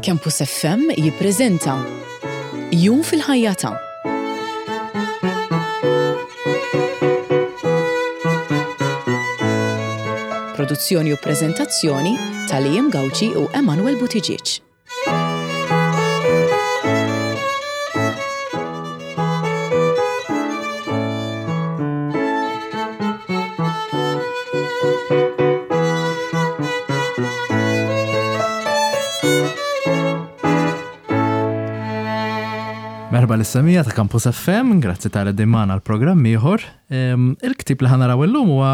Campus FM jippreżenta Jum fil-ħajja ta' Produzzjoni u preżentazzjoni ta' Liam Gauci u Emanuel Buttigieg. Merħba l-issemija ta' Campus FM, grazzi tal dimana l-programm ieħor. Il-ktib li ħanaraw illum huwa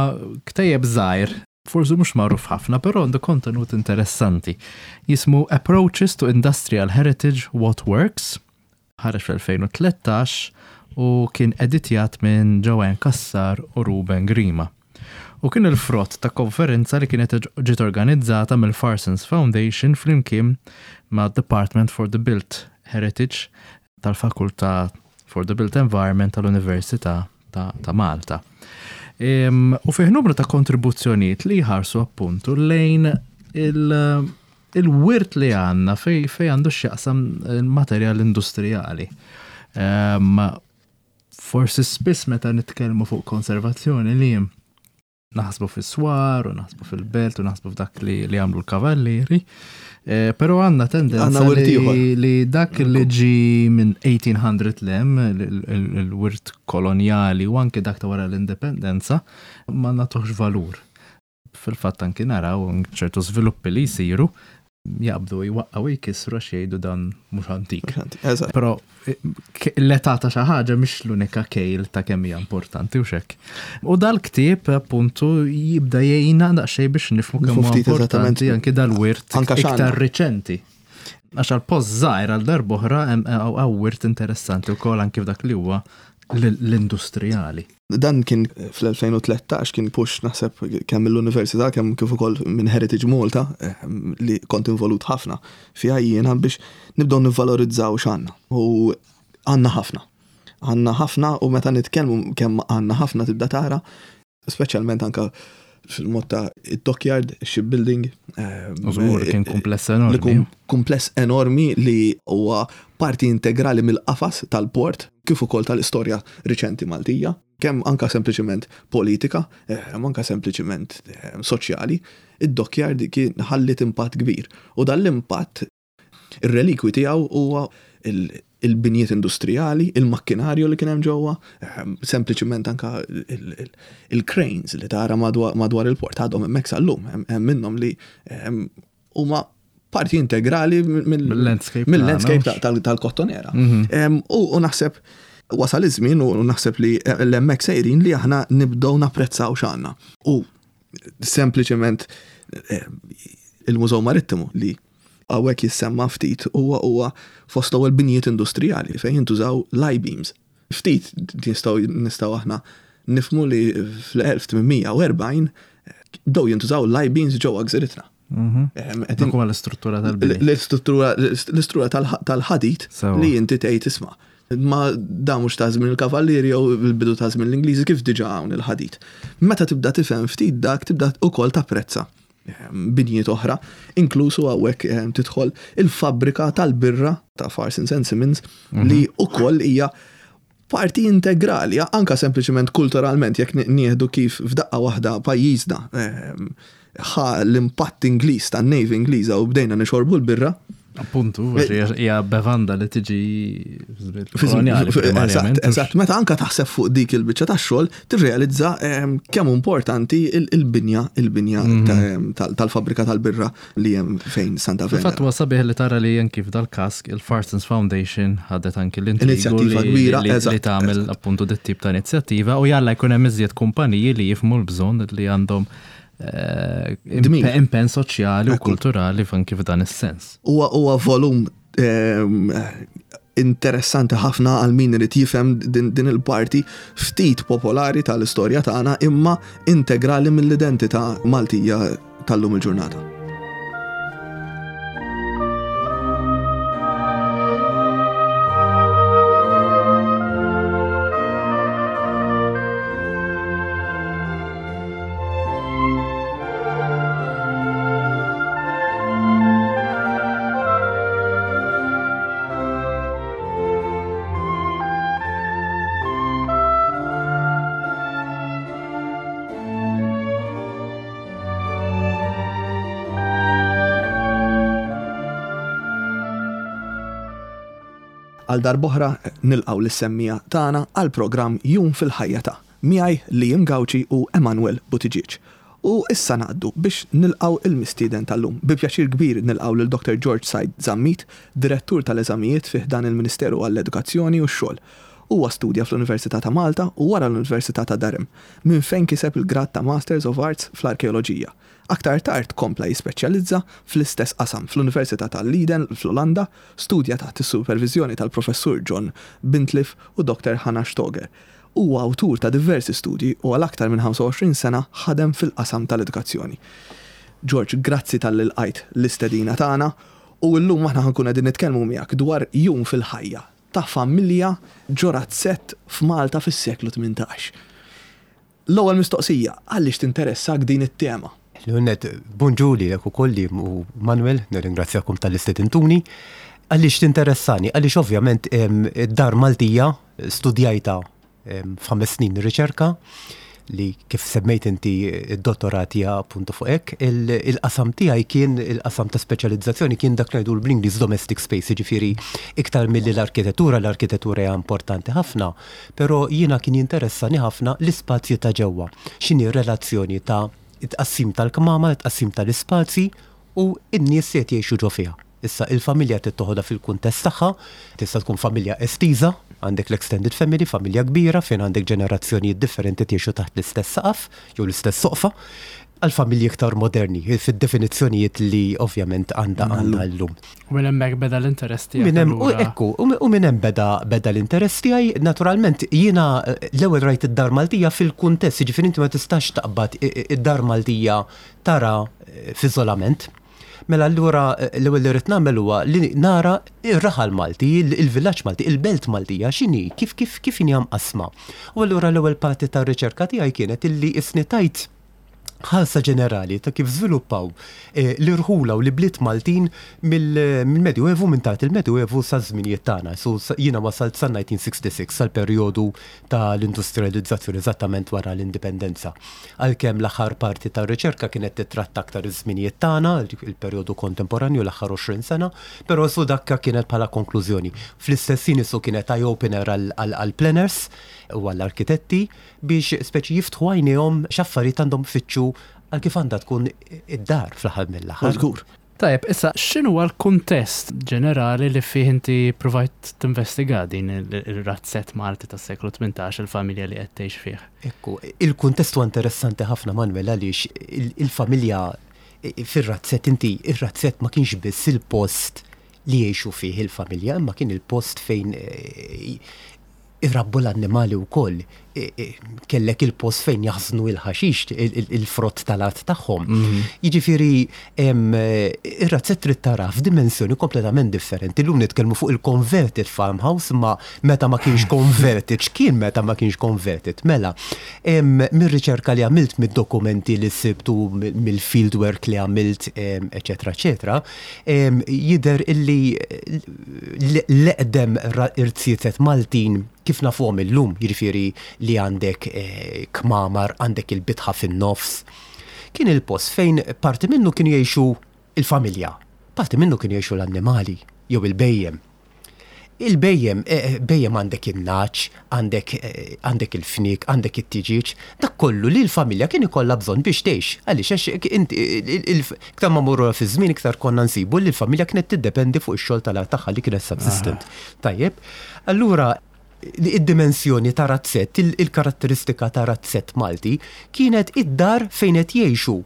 ktejjeb żgħir forsi mhux magħruf ħafna, però għandu kontenut interessanti. Jismu Approaches to Industrial Heritage What Works, ħareġ fl-2013 u kien editjat minn Joanne Cassar u Ruben Grima. U kien il-frott ta' konferenza li kienet ġiet organizzata mill-Farsons Foundation flimkien ma' Department for the Built Heritage tal-Fakultà for the Built Environment tal-Università ta', ta Malta. U fih numru ta' kontribuzzjonijiet li jħarsu appuntu lejn il- il-wirt li għandna fej, fej għandu x'jaqsam il-materjal industrijali. Um, forsi spiss meta nitkellmu fuq konservazzjoni li naħsbu fis-swar u naħsbu fil-belt u naħsbu f'dak li, li għamlu l-kavallieri. Eh, pero għanna tendenza li, li dak li ġi minn 1800 lem, il-wirt koloniali u anke dak ta' wara l-indipendenza, ma natuħx valur. Fil-fatt anki naraw ċertu żviluppi li jsiru jaqbdu jwaqqgħu jkissru għax jgħidu dan mhux antik. Però eh, l-età ta' xi ħaġa mhix l-unika kejl ta' kemm hija importanti u xekk. U dal-ktieb appuntu jibda jgħinna daqsxejn biex nifhmu kemm huwa importanti anki dal-wirt iktar riċenti. Għax għal post żgħir għal darb'oħra hemm eh, wirt interessanti wkoll anki f'dak li huwa l-industrijali. Dan kien fl-2013 kien push naħseb kemm mill-Università kemm kif ukoll minn Heritage Malta eh, li kont involut ħafna fiha jiena biex nibdew nivvalorizzaw x'għandna. U għandna ħafna. Għandna ħafna u meta nitkellmu kemm għandna ħafna tibda tara, speċjalment anka fil-mod ta' dockyard, shipbuilding. Eh, Użgur, kien kumpless enormi. Kumpless enormi li huwa parti integrali mill-qafas tal-port kif ukoll tal-istorja riċenti Maltija, kemm anka sempliċement politika, eh, anka sempliċement eh, soċjali, id-dockyard kien ħallit impatt kbir. U dan l-impatt ir-relikwi tiegħu huwa il-binjiet industrijali, il-makkinarju li kien hemm ġewwa, eh, sempliċement anka il-cranes li tara madwar il-port għadhom hemmhekk sal-lum, hemm minnhom li huma parti integrali mill-landscape tal-kottonera. Mhm. U naħseb wasal iż-żmien u naħseb li l-hemmhekk sejrin li aħna nibdew napprezzaw x'għandna. U sempliċement eh, il-Mużew Marittimu li hawnhekk jissemma ftit huwa huwa fost l-ewwel binjiet industrijali fejn jintużaw l-I-beams. Ftit nistgħu nistgħu aħna nifhmu li fl-1840 bdew jintużaw l-I-beams ġewwa gżiritna. Mhm. Dak huwa l-istruttura tal-bini. L-istruttura l-istruttura tal-ħadid li inti tgħid isma' ma da mhux ta' żmien il-kavallieri jew il-bidu ta' żmien l-Ingliżi kif diġà hawn il-ħadid. Meta tibda tifhem ftit dak tibda ukoll tapprezza binjiet oħra, inkluż u hawnhekk tidħol il-fabbrika tal-birra ta' Farsons and Simmons li mhm. ukoll hija parti integrali, anka sempliċement kulturalment jekk nieħdu kif f'daqqa waħda pajjiżna ħa l-impatt Ingliż tan-Navy Ingliża u bdejna nixorbu l-birra. Appuntu, eh, hija bevanda li tiġi koloniali. Eżatt, meta anka taħseb fuq dik il-biċċa tax-xogħol, tirrealizza ehm, kemm importanti il-binja il-binja mhm. ehm, tal-fabbrika tal-birra li hemm fejn Santa Venera. Fatt huwa sabiħ li tara li anki f'dal-każ il-Farsons Foundation ħadet anki l-inizjattiva kbira li tagħmel appuntu dit tip ta' inizjattiva u jalla jkun hemm iżjed kumpaniji li jifhmu l-bżonn li għandhom eh, impenn soċjali u kulturali anki f'dan is-sens. Huwa huwa volum ehm, interessanti ħafna għal min irid jifhem din, din il-parti ftit popolari tal-istorja tagħna imma integrali mill-identità Maltija tal-lum il-ġurnata. Għal darb'oħra nilqgħu lis-semmiegħa tagħna għall-programm Jum fil-Ħajja ta', miegħi Liam Gauci u Emanuel Buttigieg. U issa ngħaddu biex nilqgħu il-mistieden tal-lum. Bi pjaċir kbir nilqgħu lil Dr. George Said Zammit, Direttur tal-Eżamijiet fi ħdan il-Ministeru għall-Edukazzjoni u x-Xogħol. Huwa studja fl-Università ta' Malta u wara l-Università ta' Durham, minn fejn kiseb il-grad ta' Masters of Arts fl-Arkeoloġija. Aktar tard kompla jispeċjalizza fl-istess qasam fl-Università ta' Leiden fl-Olanda, studja taħt is-superviżjoni tal-Professur John Bintliff u Dr. Hannah Stoger. Huwa awtur ta' diversi studji u għal aktar minn 25 sena ħadem fil-qasam tal-edukazzjoni. George, grazzi talli lqajt l-istedina tagħna u llum aħna ħa nkunu qegħdin nitkellmu miegħek dwar jum fil-ħajja ta' familja ġo razzett f'Malta fis-seklu 18. L-ewwel mistoqsija, għaliex tinteressak din it-tema? L-ewwel nett, bonġu lilek ukoll Liam u Manuel, nirringrazzjakom talli stedintuni. Għaliex tinteressani? Għaliex ovvjament id-dar Maltija studjajtha f'ħames snin riċerka li kif semmejt inti id-dottorat hija appuntu fuq hekk, il-qasam tiegħi kien il-qasam ta' speċjalizzazzjoni kien dak li ngħidu bl-Ingliż domestic space, jiġifieri iktar milli l-arkitettura, l-arkitettura hija importanti ħafna, Però jiena kien jinteressani ħafna l-ispazji ta' ġewwa. X'inhi r-relazzjoni ta' it-tqassim tal-kmamar, it-tqassim tal-ispazji u n-nies li qed jgħixu ġo fiha. Issa, il-familja trid toħodha fil-kuntest tagħha, tista' tkun familja estiża, għandek l-extended family, familja kbira fejn għandek ġenerazzjonijiet differenti qed jgħixu taħt l-istess saqaf jew l-istess soqfa, għal familji iktar moderni, fid-definizzjonijiet li ovvjament għandha għandna llum. U minn hemmhekk beda l-interess tiegħek. Minn hemm, u ekku, u minn hemm beda beda l-interess tiegħi, naturalment jiena eh, l-ewwel rajt id-dar Maltija fil-kuntest, jiġifieri inti ma tistax taqbad id-dar Maltija tara eh, f'iżolament. Mela allura eh, l-ewwel li rrid nagħmel huwa li nara ir-raħal Malti, il-villaġġ Malti, il-belt Maltija x'inhi, kif kif kif inhi mqassma. U allura l-ewwel parti tar-riċerka tiegħi kienet illi isni tajt ħarsa ġenerali ta' kif żviluppaw eh, l-irħula u l-ibliet Maltin mill-Medjuevu minn tard il-Medjuevu sa żminijiet tagħna. So jiena wasalt sa 1966 sal-perjodu tal-industrializzazzjoni eżattament wara l-indipendenza. Għalkemm l-aħħar parti tar-riċerka kienet titratta aktar iż-żminijiet tagħna, il-perjodu kontemporanju l-aħħar 20 sena, però su dakka kienet bħala konklużjoni. Fl-istess ħin isu kienet eye-opener għall-planners u għall-arkitetti biex speċi jiftħu għajnejhom x'affarijiet għandhom ifittxu għal kif għandha tkun id-dar fl-aħħar mill-aħħar. Żgur. Tajjeb, issa x'inhuwa l-kuntest ġenerali li fih inti ppruvajt tinvestiga din ir-razzett Malti tas-seklu 18, il-familja li qed tgħix fih? Ekku, il-kuntest huwa interessanti ħafna Manuel għaliex il-familja fir-razzett inti ir-razzett ma kienx biss il-post li jgħixu fih il-familja imma kien il-post fejn irabbu l-annimali wkoll. Kellek il-post fejn jaħżnu il-ħaxix, il-frott tal-art tagħhom. Mhm. Jiġifieri ir-razzett trid tara f'dimensjoni kompletament differenti. Illum nitkellmu fuq il-converted farmhouse ma meta ma kienx converted, x'kien meta ma kienx converted? Mela, mir-riċerka li għamilt mid-dokumenti li sibtu mill-fieldwork li għamilt, eċetera, eċetera, jidher illi l-eqdem irziezet Maltin kif nafuhom illum, jiġifieri li għandek eh, kmamar, għandek il-bitħa fin-nofs, kien il-post fejn parti minnu kienu jgħixu il-familja, parti minnu kienu jgħixu l-annimali jew il-bejjem. Il-bhejjem, bhejjem għandek in-nagħaġ, għandek għandek il-fniek, għandek it-tiġieġ, dak kollu li l-familja kien ikollha bżonn biex tgħix. Għaliex għax inti iktar ma mmorru fiż-żmien iktar konna nsibu li l-familja kienet tiddependi fuq ix-xogħol tal-art tagħha li kienet subsistent. Tajjeb. Allura id-dimensjoni ta' razzett, il-karatteristika ta' razzett Malti kienet id-dar fejn qed jgħixu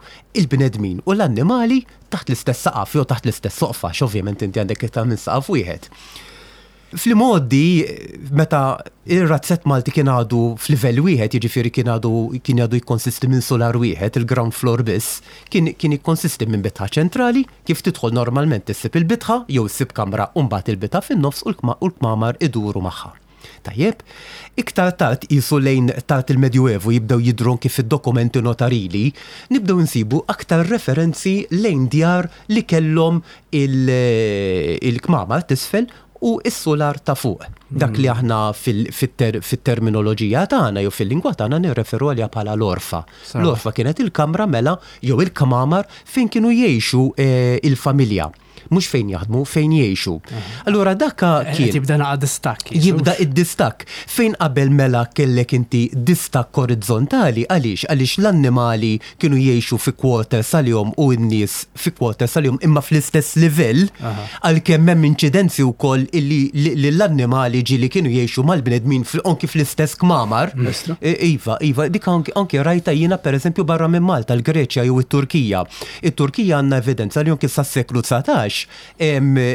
il-bnedmin u l-annimali taħt l-istess saqaf jew taħt l-istess soqfa, għax ovvjament inti għandek iktar minn saqaf wieħed. Fl-imgħoddi, meta ir-razzett Malti kien għadu f'livell wieħed, jiġifieri kien għadu kien għadu jikkonsisti minn sular wieħed, il-ground floor biss, kien kien jikkonsisti minn bitħa ċentrali, kif tidħol normalment issib il-bitħa jew issib kamra u mbagħad il-bitħa fin-nofs u l-kmamar iduru magħha. Tajjeb, iktar tard qisu lejn tard il-Medjuevu jibdew jidhru anki fid-dokumenti notarili, nibdew insibu aktar referenzi lejn djar li kellhom il-kmamar t'isfel u s-sular ta' fuq. Dak li aħna fit-terminoloġija tagħna jew fil-lingwa tagħna nirreferu għaliha bħala l-għorfa. L-għorfa kienet il-kamra mela jew il-kmamar fejn kienu jgħixu il-familja. Mhux fejn jaħdmu, fejn jgħixu. Allura dakka eh, kien. Jibda naqa distakk. Jibda id-distakk. Fejn qabel mela kellek inti distakk orizzontali, għaliex? Għaliex l-annimali kienu jgħixu fi quarters għalihom u n-nies fi quarters għalihom imma fl-istess livell, għalkemm hemm inċidenzi wkoll illi li l-annimali ġieli kienu jgħixu mal-bnedmin anki fl-istess kmamar. Iva, iva, dik anki rajta jiena pereżempju barra minn Malta, l-Greċja jew it-Turkija. It-Turkija għandna evidenza li anki sas-seklu 19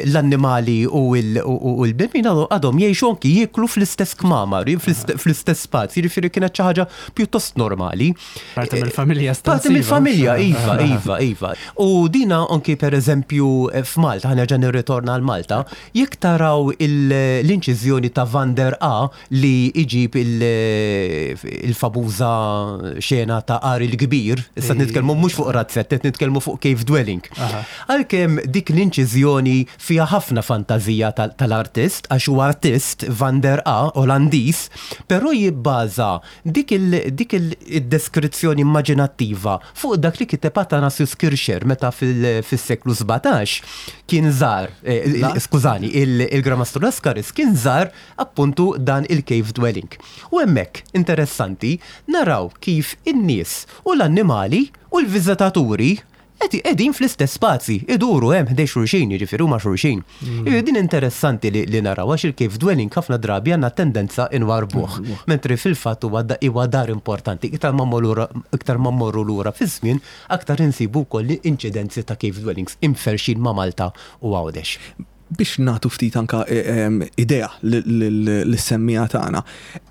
l-annimali u l-bnedmin għadhom jgħixu anki jieklu fl-istess kmamar, fl-istess spazji, jiġifieri kienet xi ħaġa pjuttost normali. Parti mill-familja Parti mill-familja, iva, iva, iva. U dina anki per eżempju f'Malta, ħa nerġa' nirritorna għal Malta, jekk taraw l-inċiżjoni ta' Van der A li jġib il-famuża xena ta' Għar il-Kbir, issa nitkellmu mhux fuq razzett, qed nitkellmu fuq cave dwelling. Għalkemm dik l-inċiżjoni fiha ħafna fantażija tal-artist, għax huwa artist Van der A, Olandiż, però jibbaża dik id-deskrizzjoni immaġinattiva fuq dak li kiteb Athanasius Kircher meta fis-seklu 17 kien żar, skużani, il-Gran Mastru Lascaris kien żar appuntu dan il-cave dwelling. U hemmhekk, interessanti, naraw kif in-nies u l-annimali u l-viżitaturi qed qegħdin fl-istess spazji, iduru hemm ħdejn xulxin, jiġifieri huma xulxin. Jiġifieri din interessanti li li naraw għax il-cave dwelling ħafna drabi għandna tendenza inwarrbuh, mentri fil-fatt huwa huwa dar importanti. Iktar ma mmorru iktar ma mmorru lura fiż-żmien, aktar insibu wkoll inċidenzi ta' cave dwellings imferrxin ma' Malta u Għawdex. Biex nagħtu ftit anka idea lis-semmiegħa tagħna,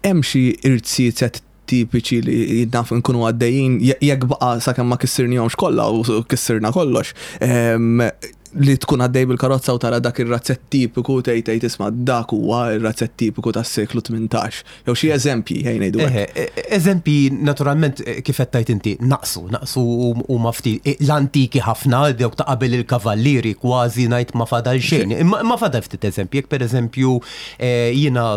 hemm xi irziezet tipiċi li naf nkunu għaddejjin jekk baqa' sakemm ma kissirnihomx kollha u kissirna kollox, li tkun għaddej bil-karozza u tara dak ir-razzett tipiku tgħid tgħid isma' dak huwa r-razzett tipiku tas-seklu 18. Jew xi eżempji, ejja ngħidu hekk. Eħe, eżempji naturalment kif qed tgħid inti naqsu, naqsu huma ftit l-antiki ħafna, dawk ta' qabel il-kavallieri kważi ngħid ma fadal xejn. Imma fadal ftit eżempji, jekk pereżempju jiena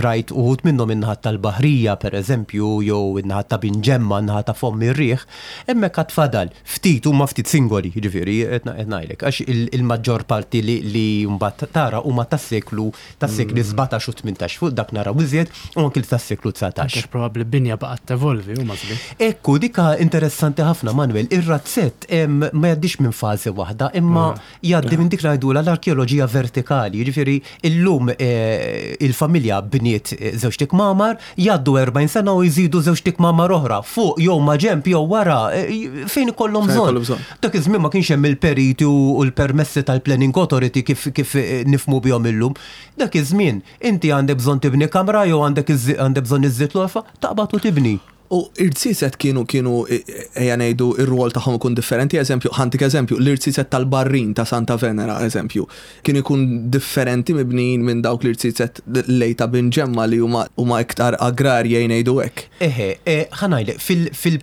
rajt uħud minnhom in-naħat tal-Baħrija pereżempju jew in-naħat ta' Binġemma, in-naħa ta' Fomm ir-Riħ, hemmhekk għad fadal ftit huma ftit singoli, jiġifieri qed ngħidlek, għax il-maġġor parti li mbagħad tara huma tas-seklu tas-sekli 17 u 18, fuq dak naraw iżjed, u anki tas-seklu 19. Anke probabbli binja baqgħet tevolvi u mażli. Ekku, dika interessanti ħafna Manuel, ir-razzett ma jgħaddix minn fażi waħda, imma jgħaddi minn dik ngħidulha l-arkeoloġija vertikali, jiġifieri illum eh, il-familja bniet eh, żewġ tikmamar, jgħaddu 40 sena u jżidu żewġ tikmamar oħra fuq jew ma' ġenb jew wara eh, fejn ikollhom bżonn. Dak iż-żmien ma kienx hemm il-periti u l-permessi tal-Planning Authority kif kif nifhmu bihom illum. Dak iż-żmien, inti għandek bżonn tibni kamra jew għandek għandek bżonn iżżid l-għorfa, taqbad u tibni. U irziezet kienu kienu ejja ngħidu r-rwol tagħhom ikun differenti, eżempju, ħa ntik eżempju, l-irziezet tal-Barrin ta' Santa Venera, eżempju, kien ikun differenti mibnijin minn dawk l-irziezet lejn ta' Binġemma li huma huma iktar agrarji ejja ngħidu hekk. Eħe, ħa ngħidlek, fil fil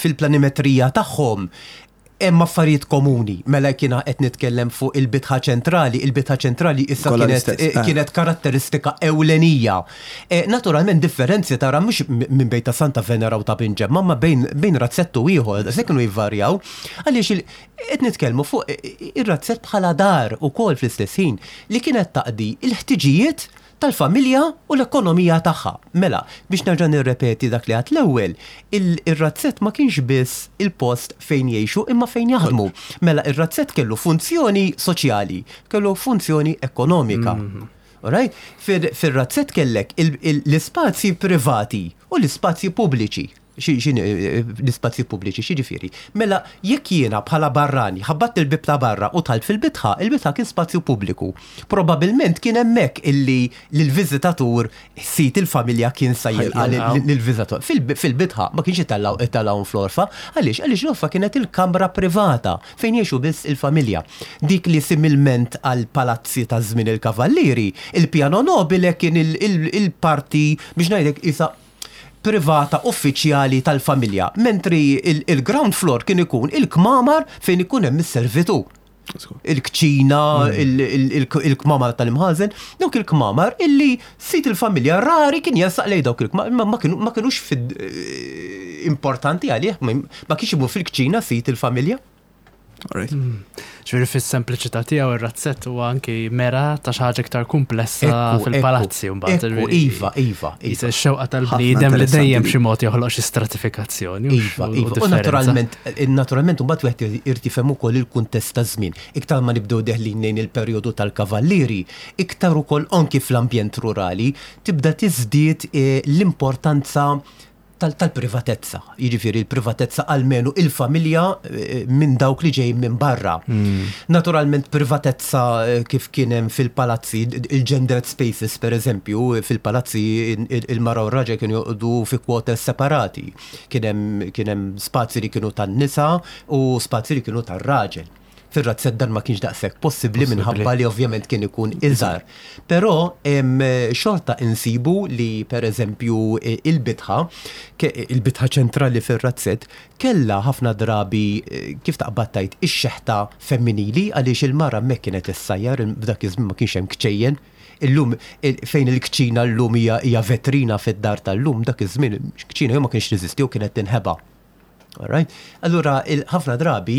Fil-planimetrija tagħhom hemm affarijiet komuni. Mela jekk jiena qed nitkellem fuq il-bitħa ċentrali, il-bitħa ċentrali issa kienet, eh. kienet karatteristika ewlenija. Eh, naturalment differenzi tara mhux minn bejn ta' Santa Venera u ta' Binġemma, ma bejn, bejn razzettu ieħor, se kienu jvarjaw, għaliex qed nitkellmu fuq eh, ir-razzett bħala dar ukoll fl-istess ħin li kienet taqdi il-ħtiġijiet tal-familja u l-ekonomija tagħha. Mela, biex nerġa' nirrepeti dak li għedt l-ewwel, ir-razzett ma kienx biss il-post fejn jgħixu imma fejn jaħdmu. Mela ir-razzett kellu funzjoni soċjali, kellu funzjoni ekonomika. Alright? Fir-razzett kellek l-ispazji privati u l-ispazji pubbliċi. L-ispazji pubbliċi, x'jiġifieri? Mela, jekk jiena bħala barrani ħabbatt il-bieb ta' barra u dħalt fil-bitħa, il-bitħa kien spazju pubbliku. Probabbilment kien hemmhekk illi l-viżitatur sid il-familja kien sa jilqa' lill-viżitatur. Fil-bitħa ma kienx itellgħuhom fl-għorfa. Għaliex? Għaliex l-għorfa kienet il-kamra privata fejn jgħixu biss il-familja. Dik li similment għall-palazzi ta' żmien il-Kavallieri, il-piano nobile kien il-parti biex ngħidlek qisha privata uffiċjali tal-familja, mentri il-ground floor kien ikun il-kmamar fejn ikun hemm is-servitù. Il-kċina, il-kmamar tal-imħażen, dawk il-kmamar illi sid il-familja rari kien jersaq lejn dawk il-kmamar, ma kinux importanti għalih, ma kienx imur fil-kċina sid il-familja. Alright. Ġifieri fis-sempliċità tiegħu ir-razzett huwa anki mera ta' xi ħaġa iktar komplessa fil-palazzi mbagħad. Ekku, iva, iva. Iva. Ix-xewqa tal-bniedem li dejjem xi mod joħloq xi stratifikazzjoni. Iva, iva. U naturalment, naturalment mbagħad wieħed irid jifhem ukoll il-kuntest taż-żmien. Iktar ma nibdew deħlin lejn il-perjodu tal-kavallieri, iktar ukoll anki fl-ambjent rurali tibda tiżdied l-importanza tal-privatezza. Jiġifieri l-privatezza almenu il-familja minn dawk li ġejjin minn barra. Naturalment privatezza kif kien hemm fil-palazzi, il-gendered spaces per eżempju, fil-palazzi il-mara u r-raġel kienu joqogħdu fi quarters separati. Kien hemm spazji li kienu tan-nisa u spazji li kienu tar-raġel. Fir-razzett dan ma kienx daqshekk possibbli minħabba li ovvjament kien ikun iżgħar. Però xorta insibu li pereżempju il-bitħa, il-bitħa ċentrali fir-razzett kellha ħafna drabi kif taqbad tgħid ix-xeħta femminili għaliex il-mara hemmhekk kienet issajjar, f'dak iż-żmien ma kienx hemm kċejjen. Illum fejn il-kċina llum hija vetrina fid-dar tal-lum, dak iż-żmien kċina jew ma kienx teżisti jew kienet tinħeba. Alright? Allura, ħafna drabi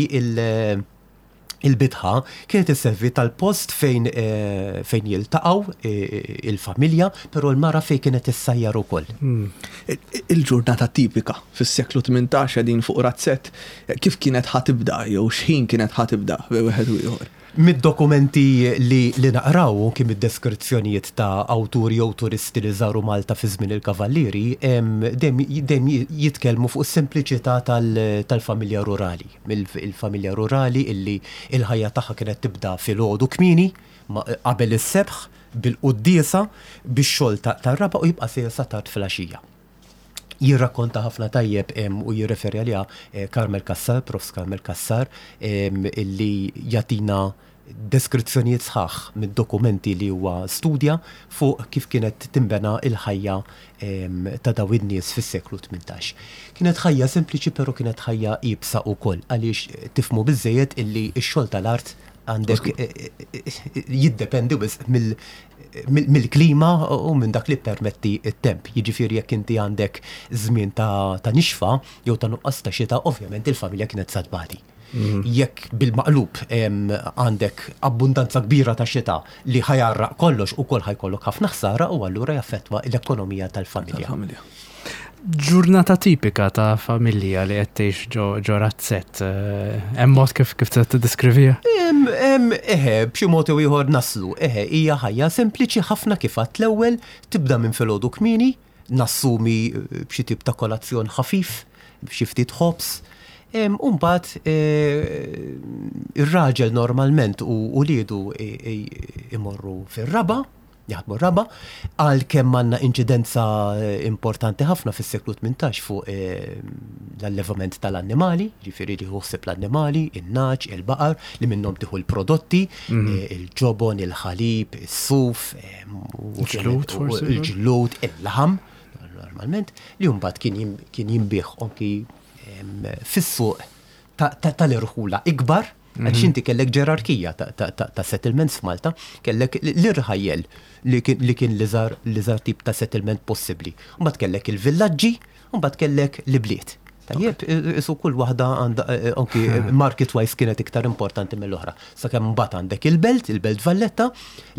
il-bitħa kienet isservi tal-post fejn eh, fejn jiltaqgħu eh, il-familja, però l-mara fejn kienet issajjar ukoll. Il-ġurnata tipika fis-seklu 18 qegħdin fuq razzett, kif kienet ħa tibda jew x'ħin kienet ħa tibda bejn wieħed u ieħor? Mid-dokumenti li li naqraw u anki mid-deskrizzjonijiet ta' awturi jew turisti li żaru Malta fi żmien il-Kavallieri, dejjem dejjem jitkellmu fuq is-sempliċità tal-familja rurali. Il-familja rurali illi l-ħajja tagħha kienet tibda filgħodu kmieni, qabel is-sebħ, bil-quddiesa, bix-xogħol tar-raba' u jibqa' sejjer sa tard filgħaxija. Jirrakkonta ħafna tajjeb u jirreferi għaliha Carmel Cassar, Profs Carmel Cassar, illi jagħtina deskrizzjonijiet sħaħ mid-dokumenti li huwa studja fuq kif kienet tinbena l-ħajja ta' dawn in-nies fis-seklu 18. Kienet ħajja sempliċi però kienet ħajja iebsa wkoll għaliex tifhmu biżżejjed illi x-xogħol tal-art għandek jiddependi wisq mill-klima u minn dak li ppermetti t-temp. Jiġifieri jekk inti għandek żmien ta' nixfa jew ta' nuqqas ta' xita, ovvjament il-familja kienet sa tbati. Jekk bil-maqlub għandek abbundanza kbira ta' xita li ħa jgħarraq kollox ukoll ħa jkollok ħafna ħsara u allura jaffettwa l-ekonomija tal-familja. Ġurnata tipika ta' familja li qed tgħix ġo razzett, hemm mod kif kif tiddeskriviha? Eħe, b'xi mod jew ieħor naslu. Eħe, hija ħajja sempliċi ħafna kif għedt l-ewwel, tibda minn filgħodu kmieni, nassumi b'xi tip ta' kolazzjon ħafif, b'xi ftit ħobż, u mbagħad ir-raġel normalment u uliedu imorru fir-raba', jaħdmu r-raba', għalkemm għandna inċidenza importanti ħafna fis-seklu 18 fuq l-allevament tal-annimali, ġifieri li ħsieb l-annimali, in-nagħaġ, il-baqar, li minnhom tieħu l-prodotti, il-ġobon, il-ħalib, is-suf, il-ġlud, il-laħam, normalment, li mbagħad kien jinbiegħ anki fis-suq tal-irħula ikbar, Għax inti kellek ġerarkija ta' settlements f'Malta, kellek l-irħajjel li kien l-iżgħar tip ta' settlement possibbli. Mbagħad kellek il-villaġġi, u mbagħad kellek l-ibliet. Tajjeb, isu kull waħda għandha anki market wise kienet iktar importanti mill-oħra. Sakemm mbagħad għandek il-belt, il-Belt Valletta,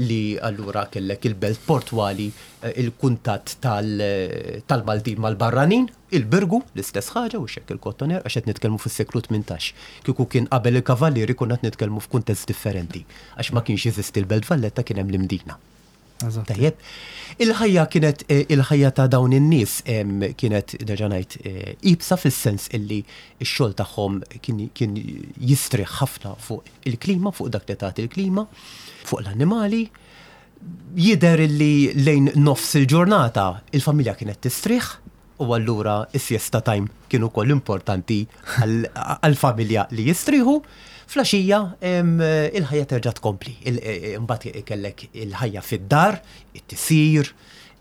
li allura kellek il-belt portwali, il-kuntatt tal-Maltin mal-barranin, Il-Birgu, l-istess ħaġa, u x'hekk il-Kottoner, għax qed nitkellmu fis-seklu 18. Kieku kien qabel il-Kavallieri konna qed nitkellmu f'kuntest differenti, għax ma kienx jeżisti l-Belt Valletta kien hemm l-Imdina. Tajjeb. Il-ħajja kienet il-ħajja ta' dawn in-nies kienet nerġa' ngħid iebsa fis-sens illi x-xogħol tagħhom kien jistrieħ ħafna fuq il-klima, fuq dak li tagħti l-klima, fuq l-annimali. Jidher illi lejn nofs il-ġurnata il-familja kienet tistrieħ u allura is-siesta time kien ukoll importanti għall-familja li jistrieħu. Fl-għaxija il-ħajja terġa' tkompli. Imbagħad kellek il-ħajja fid-dar, it-tisjir,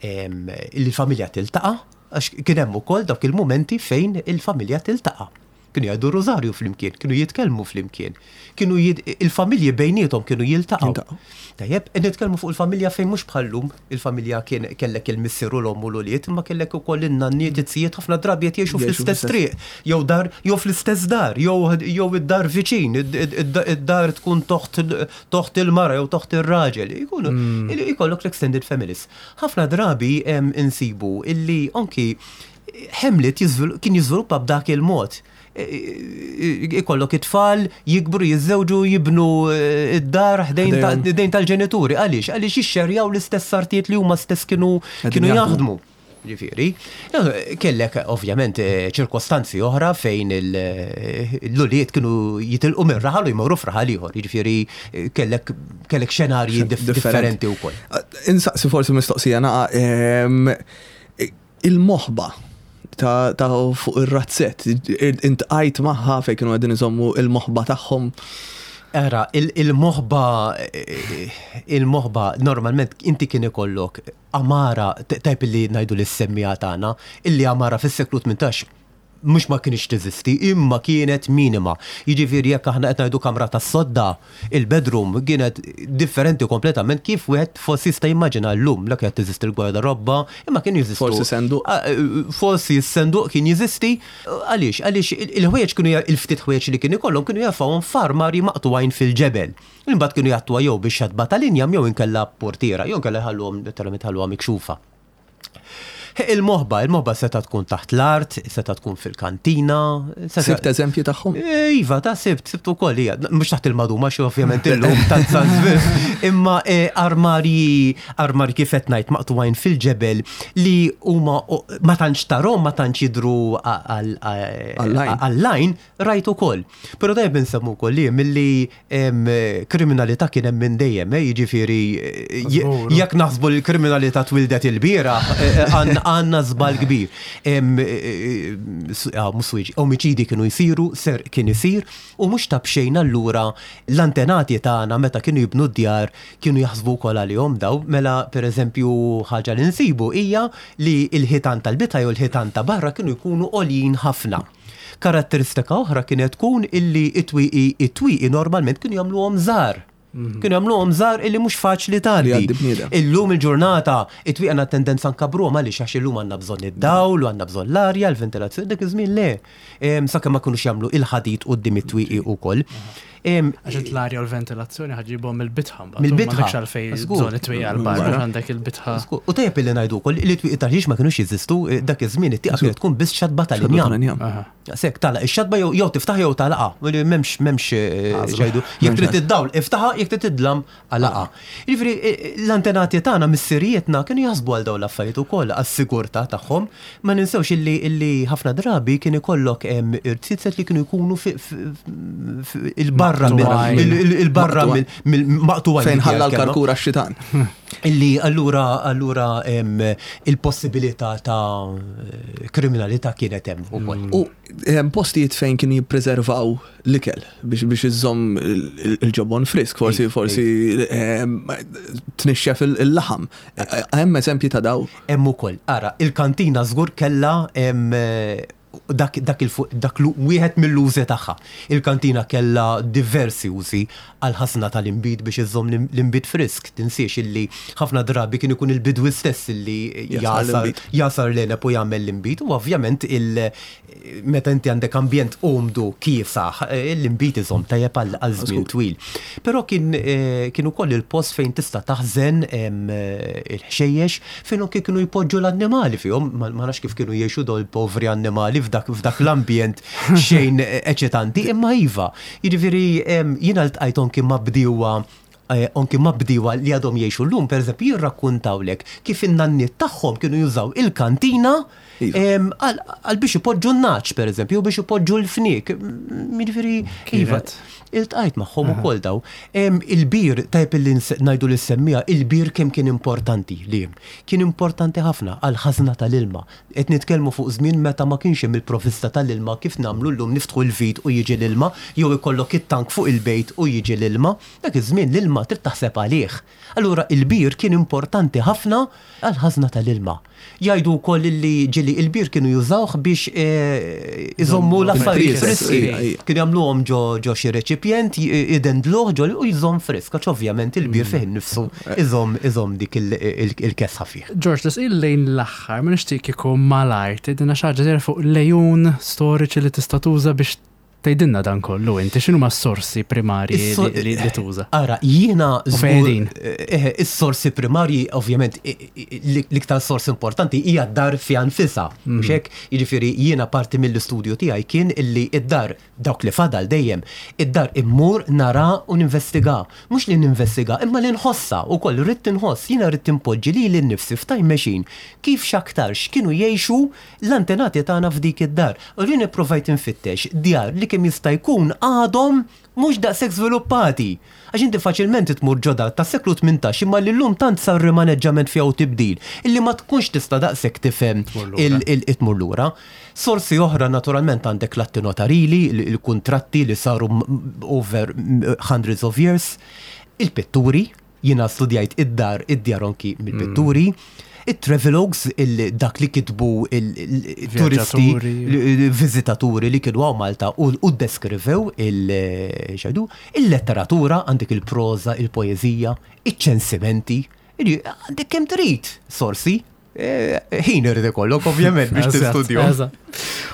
il-familja tiltaqa' għax kien hemm ukoll dawk il-mumenti fejn il-familja tiltaqa'. Kienu jgħidu r-rużarju flimkien, kienu jitkellmu flimkien. Kienu il-familji bejniethom kienu jiltaqgħu. Tajjeb, nitkellmu fuq il-familja fejn mhux bħal-lum, il-familja kien kellek il-missier u l-omm u l-ulied, imma kellek ukoll in-nanniet, iz-zijiet ħafna drabi qed jgħixu fl-istess triq, jew dar, jew fl-istess dar, jew id-dar viċin, id-dar tkun toħt toħt il-mara jew toħt ir-raġel. Ikunu ikollok l-extended families. Ħafna drabi insibu illi anki Hamlet kien jiżviluppa b'dak il-mod. Ikollok it-tfal jikbru, jiżżewġu, jibnu id-dar ħdejn tal-ġenituri. Għaliex? Għaliex jixxerjaw l-istess artijiet li huma stess kienu jaħdmu. Ġifieri, kellek ovvjament ċirkostanzi oħra fejn l-ulied kienu jitilqu minn raħal u jmorru f'raħal ieħor. Jiġifieri kellek kellek xenarji differenti wkoll. Insaqsi forsi mistoqsija naqa' Il-moħba ta' fuq ir-razzett, intqajt magħha fejn kienu qegħdin iżommu il-moħba tagħhom? Ara, il-moħba, il-moħba normalment inti kien ikollok għamara, tajb illi ngħidu lis-semmiegħa tagħna, illi għamara fis-seklu 18 mhux ma kinitx teżisti, imma kienet minima. Jiġifieri jekk aħna qed ngħidu kamra tas-sodda, il-bedroom kienet differenti kompletament kif wieħed forsi jista' jimmaġina llum, la kienet teżisti l-gwardarobba, imma kienu jeżistu. Forsi senduq. Forsi s-senduq kien jeżisti. Għaliex? Għaliex il-ħwejjeġ kienu il-ftit ħwejjeġ li kien ikollhom kienu jerfgħuhom f'armarji maqtugħin fil-ġebel. Imbagħad kienu jgħattuha jew bix-xatba tal-injam jew inkella b'portiera, jew inkella jħalluhom letteralment jħalluha mikxufa. Il-moħba, il-moħba seta' tkun taħt l-art, seta' tkun fil-kantina. Sibt eżempji tagħhom? Eh, iva, ta' sibt, sibt ukoll hija. Mhux taħt il-maduma xi ovvjament illum tant Imma eh, armarji, armarji kif qed ngħid maqtuwajn fil-ġebel li huma ma tantx tarhom, ma tantx jidhru għall-lajn, rajt ukoll. Però tajjeb insemmu wkoll li milli Kriminalità kien hemm minn dejjem, eh, jiġifieri jekk naħsbu li l-kriminalità twildet ilbieraħ, eh, għandna żball kbir. Ah, omiċidi kienu jsiru, ser kien isir, u mhux ta' b'xejn allura l-antenati tagħna meta kienu jibnu d-djar kienu jaħsbu wkoll għalihom daw, mela pereżempju ħaġa li nsibu hija li l-ħitan tal-bitha jew l-ħitan ta' barra kienu jkunu għoljin ħafna. Karatteristika oħra kienet tkun illi it-twieqi it-twieqi normalment kienu jagħmluhom żgħar. Mhm. Kienu jagħmluhom żgħar illi mhux faċli tgħaddi. Illum il-ġurnata it-twieqi għandna tendenza nkabruhom għaliex għax illum għandna bżonn id-dawl u għandna bżonn l-arja, l-ventilazzjoni, dak iż-żmien le. Sakemm ma kinux jagħmlu il-ħadid quddiem it-twieqi ukoll. Għax int l-arja u l-ventilazzjoni ħaġibhom mill-bitħa mbagħad. Mill-bitħa. M'għandekx għalfejn bżonn it-twieqi għal barra għandek il-bitħa. U tajjeb illi ngħidu wkoll li t-twieqi tal-ħġieġ ma kinux jeżistu eh, dak iż-żmien it-tieqa kienet tkun biss xatba tal-injam. Sekk tagħlaq ix-xatba jew tiftaħ jew tagħlaqha. M'hemmx m'hemmx eh, ġajdu. Jekk trid id-dawl iftaħha, jekk trid id-dlam għalaqha. Jiġifieri l-antenati tagħna missirijietna kienu jaħsbu għal dawn l-affarijiet ukoll għas-sigurtà tagħhom. Ma ninsewx illi illi ħafna drabi kien ikollok irziezet li kienu jkunu il-barra il-barra mill-maqtugħin. Fejn ħalla l-karkura x-xitan. Illi allura allura il-possibilità ta' kriminalità kienet hemm ukoll. U postijiet fejn kienu jippreservaw l-ikel biex biex iżżomm il-ġobon frisk, forsi forsi ehm, tnixxef il-laħam. Hemm eżempji ta' daw. Hemm ukoll. Ara, il-kantina żgur kellha dak dak il dak wieħed mill-użi tagħha. Il-kantina kellha diversi użi għal ħażna tal-inbid biex iżżomm l-inbid frisk. Tinsiex illi ħafna drabi kien ikun il-bidwi stess illi jagħsar l-għeneb u jagħmel l-inbid u ovvjament il Meta inti għandek ambjent umdu, kiesaħ, l-inbid iżomm tajjeb għal żmien twil. Però kien kien ukoll il-post fejn tista' taħżen il-ħxejjex fejn anke kienu jpoġġu l-annimali fihom, ma nafx kif kienu jgħixu dawn il-povri annimali f'dak f'dak l-ambjent xejn eċitanti, imma iva. Jiġifieri jiena ltqajt anki ma' bdiewa anki ma' bdiewa li għadhom jgħixu llum, pereżempju, jirrakkuntawlek kif in-nanniet tagħhom kienu jużaw il-kantina iva. għal biex ipoġġu n-nagħaġ, pereżempju, jew biex ipoġġu l-fniek. Jiġifieri, iva, iltqajt magħhom ukoll daw. Il-bir, tajjeb illi ngħidu lis-semmiegħa, il-bir kemm kien importanti li kien importanti ħafna għall-ħażna tal-ilma. Qed nitkellmu fuq żmien meta ma kienx hemm il-provvista tal-ilma kif nagħmlu llum niftħu l-vit u jiġi l-ilma, jew ikollok it-tank fuq il-bejt u jiġi l-ilma. Dak iż-żmien l-ilma trid taħseb għalih. Allura il-bir kien importanti ħafna għall-ħażna tal-ilma. Jgħidu wkoll li ġieli il-bir kienu jużawh biex iżommu l-affarijiet friski. Kienu jagħmluhom ġo xi reċipjent, idendluh ġo u jżomm frisk, għax ovvjament il-bir fih innifsu iżomm dik il-kesħa fih. George, tisqil lejn l-aħħar, ma nixtieq kieku malajr tgħidilna xi ħaġa żgħira fuq l-għejun storiċi li tista' tuża biex Tgħidilna dan kollu inti, x'inhuma s-sorsi primarji li tuża? Ara, jiena żgur. Eh, is-sorsi primarji ovvjament l-iktar sors importanti hija d-dar fiha nfisha. Mhm. Mhux hekk? Jiġifieri jiena parti mill-istudju tiegħi kien illi id-dar dawk li fadal dejjem, id-dar immur nara u ninvestiga. Mhux li ninvestiga, imma li nħossha wkoll ridt inħoss, jiena ridt inpoġġi lili nnifsi f'time machine kif x'aktarx kienu jgħixu l-antenati tagħna f'dik id-dar. U jien ippruvajt infittex djar li kemm jista' jkun għadhom mhux daqshekk żviluppati. Għax inti faċilment tmur ġo dar tas-seklu 18 imma li llum tant sar rimaneġġament fiha u tibdil illi ma tkunx tista' daqshekk tifhem tmur lura. Sorsi oħra naturalment għandek l-atti notarili, il-kuntratti li saru over hundreds of years, il-pitturi, Jiena studjajt id-dar, id-djar anki mill-pitturi, it-travelogues, dak li kitbu il-turisti, viżitaturi li kienu hawn Malta u ddeskrivew il-xajdu, il-letteratura, għandek il-proża, il-poeżija, iċ-ċensimenti, għandek kemm trid sorsi. Eh, ħin irid ikollok ovvjament biex tistudju.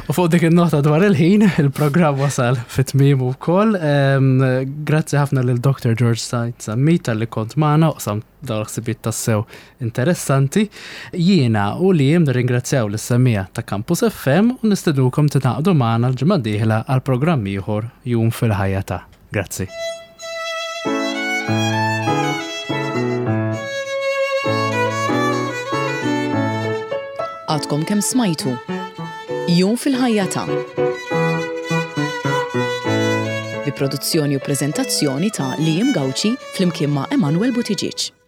U fuq dik in-nota dwar il-ħin, il-programm wasal fit-tmiem ukoll. Grazzi ħafna lil Dr. George Said Sammit tal-li kont magħna u qsam dawn l-ħsibijiet tassew interessanti. Jiena u li jiem nirringrazzjaw lis-semmiegħa ta' Campus FM u nistednukom tingħaqdu magħna l-ġimgħa d-dieħla għal programm ieħor Jum fil-ħajja ta'. Grazzi. Għadkom kemm smajtu Jum fil-ħajja ta' bi produzzjoni u preżentazzjoni ta' Liam Gauci flimkien ma' Emanuel Buttigieg.